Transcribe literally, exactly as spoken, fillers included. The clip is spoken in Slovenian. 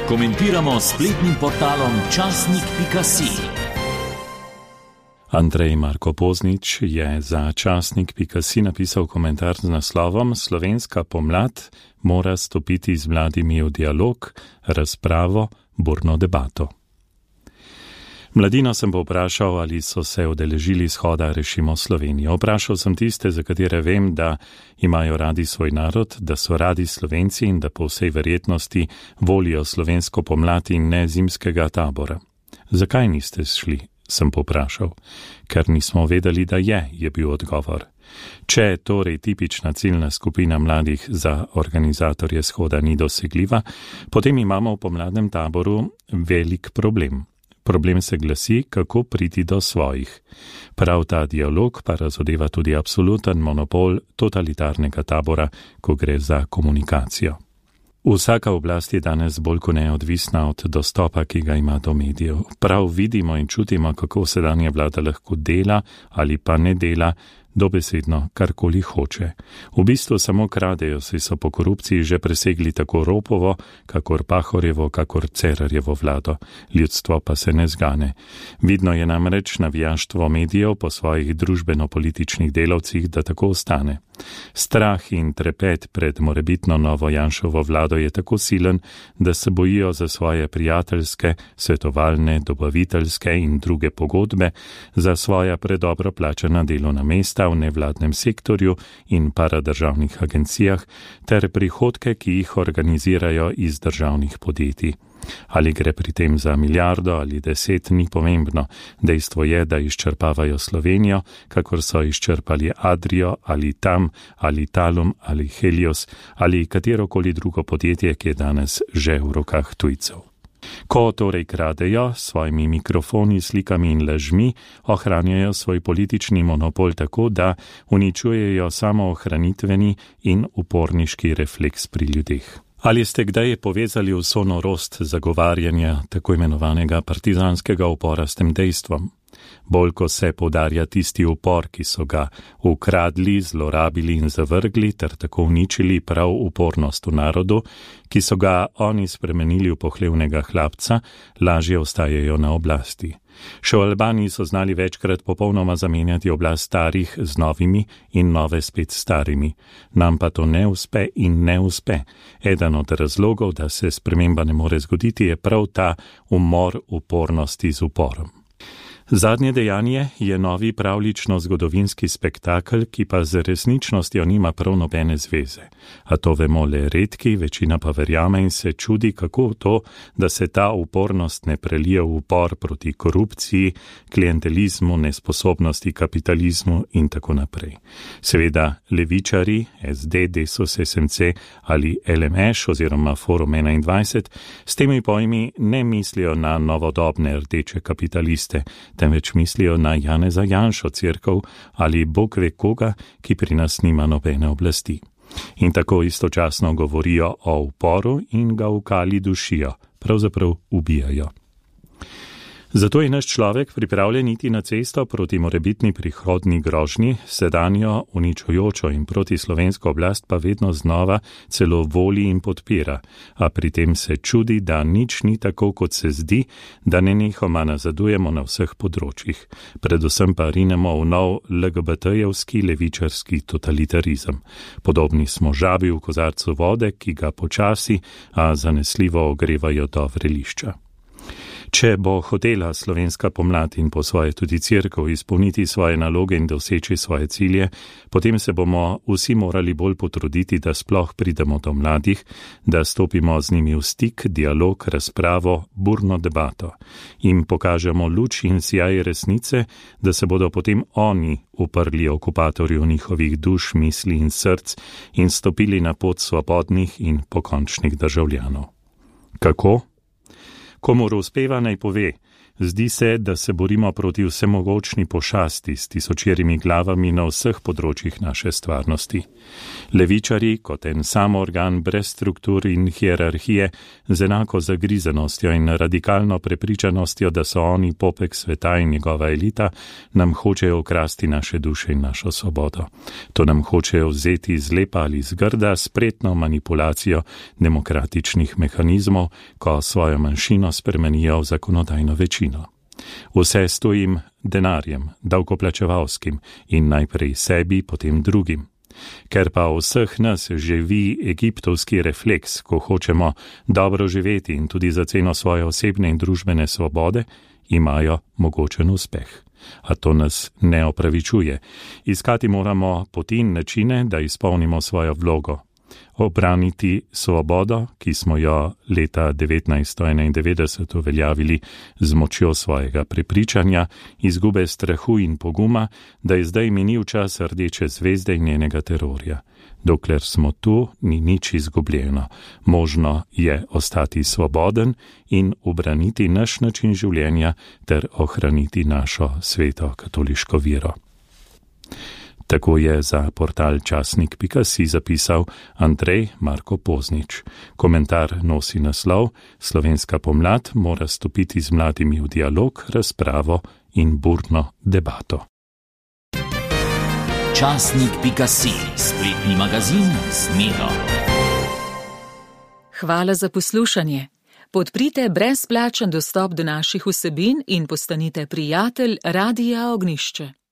Komentiramo s spletnim portalom časnik pika si. Andrej Marko Poznič je za časnik pika si napisal komentar z naslovom Slovenska pomlad mora stopiti z mladimi v dialog, razpravo, burno debato. Mladino sem povprašal, ali so se udeležili shoda Rešimo Slovenijo. Vprašal sem tiste, za katere vem, da imajo radi svoj narod, da so radi Slovenci in da po vsej verjetnosti volijo slovensko pomlad in ne zimskega tabora. Zakaj niste šli, sem povprašal. Ker nismo vedeli, da je, je bil odgovor. Če torej tipična ciljna skupina mladih za organizatorje shoda ni dosegljiva, potem imamo v pomladnem taboru velik problem. Problem se glasi, kako priti do svojih. Prav ta dialog pa razodeva tudi absoluten monopol totalitarnega tabora, ko gre za komunikacijo. Vsaka oblast je danes bolj kot neodvisna od dostopa, ki ga ima do medijev. Prav vidimo in čutimo, kako sedanja vlada lahko dela ali pa ne dela, dobesedno karkoli hoče. V bistvu samo kradejo, saj so po korupciji že presegli tako Ropovo, kakor Pahorjevo, kakor Cerarjevo vlado. Ljudstvo pa se ne zgane. Vidno je namreč navijaštvo medijev po svojih družbeno-političnih delavcih, da tako ostane. Strah in trepet pred morebitno novo Janševo vlado je tako silen, da se bojijo za svoje prijateljske, svetovalne, dobaviteljske in druge pogodbe, za svoja predobro plačana delovna mesta v nevladnem sektorju in paradržavnih agencijah ter prihodke, ki jih organizirajo iz državnih podjetij. Ali gre pri tem za milijardo ali deset, ni pomembno. Dejstvo je, da izčrpavajo Slovenijo, kakor so izčrpali Adrio ali Tam ali Talum ali Helios ali katerokoli drugo podjetje, ki je danes že v rokah tujcev. Ko torej kradejo s svojimi mikrofoni, slikami in lažmi, ohranjajo svoj politični monopol tako, da uničujejo samo ohranitveni in uporniški refleks pri ljudeh. Ali ste kdaj povezali vso norost zagovarjanja tako imenovanega partizanskega upora s tem dejstvom? Bolj ko se poudarja tisti upor, ki so ga ukradli, zlorabili in zavrgli, ter tako uničili prav upornost v narodu, ki so ga oni spremenili v pohlevnega hlapca, lažje ostajajo na oblasti. Še v Albaniji so znali večkrat popolnoma zamenjati oblast starih z novimi in nove spet starimi. Nam pa to ne uspe in ne uspe. Eden od razlogov, da se sprememba ne more zgoditi, je prav ta umor upornosti z uporom. Zadnje dejanje je novi pravlično-zgodovinski spektakel, ki pa z resničnostjo nima prav nobene zveze. A to vemo le redki, večina pa verjame in se čudi, kako to, da se ta upornost ne prelije v upor proti korupciji, klientelizmu, nesposobnosti, kapitalizmu in tako naprej. Seveda levičari, es de, Desus, es em ce ali el em eš oziroma Forum enaindvajset s temi pojmi ne mislijo na novodobne rdeče kapitaliste, temveč mislijo na Janeza Janšo cerkev ali Bog ve koga, ki pri nas nima nobene oblasti. In tako istočasno govorijo o uporu in ga v kali dušijo, pravzaprav ubijajo. Zato je naš človek pripravljen iti na cesto proti morebitni prihodnji grožnji, sedanjo uničujočo in proti slovensko oblast pa vedno znova celo voli in podpira, a pri tem se čudi, da nič ni tako, kot se zdi, da nenehoma nazadujemo na vseh področjih. Predvsem pa rinemo v nov el ge be te-jevski levičarski totalitarizem. Podobni smo žabi v kozarcu vode, ki ga počasi, a zanesljivo ogrevajo do vrelišča. Če bo hotela slovenska pomlad in po svoje tudi cerkev izpolniti svoje naloge in doseči svoje cilje, potem se bomo vsi morali bolj potruditi, da sploh pridemo do mladih, da stopimo z njimi v stik, dialog, razpravo, burno debato. Jim pokažemo luč in sijaj resnice, da se bodo potem oni uprli okupatorju njihovih duš, misli in src in stopili na pot svobodnih in pokončnih državljanov. Kako? Komur uspeva, naj pove, Zdi se, da se borimo proti vsemogočni pošasti s tisočerimi glavami na vseh področjih naše stvarnosti. Levičari, kot en sam organ brez struktur in hierarhije, z enako zagrizenostjo in radikalno prepričanostjo, da so oni popek sveta in njegova elita, nam hočejo ukrasti naše duše in našo svobodo. To nam hočejo vzeti z lepa ali z grda, spretno manipulacijo demokratičnih mehanizmov, ko svojo manjšino spremenijo v zakonodajno večino. Vse s tojim denarjem, davkoplačevalskim in najprej sebi, potem drugim. Ker pa v vseh nas živi egiptovski refleks, ko hočemo dobro živeti in tudi za ceno svoje osebne in družbene svobode, imajo mogočen uspeh. A to nas ne opravičuje. Iskati moramo poti in načine, da izpolnimo svojo vlogo. Obraniti svobodo, ki smo jo leta devetnajststo enaindevetdeset uveljavili z močjo svojega prepričanja, izgube strahu in poguma, da je zdaj minil čas rdeče zvezde in njenega terorja. Dokler smo tu, ni nič izgubljeno. Možno je ostati svoboden in ubraniti naš način življenja ter ohraniti našo sveto katoliško vero. Tako je za portal časnik pika si zapisal Andrej Marko Poznič. Komentar nosi naslov: Slovenska pomlad mora stopiti z mladimi v dialog, razpravo in burno debato. časnik pika si, spletni magazin z Miro. Hvala za poslušanje. Podprite brezplačen dostop do naših vsebin in postanite prijatelj Radia Ognjišče.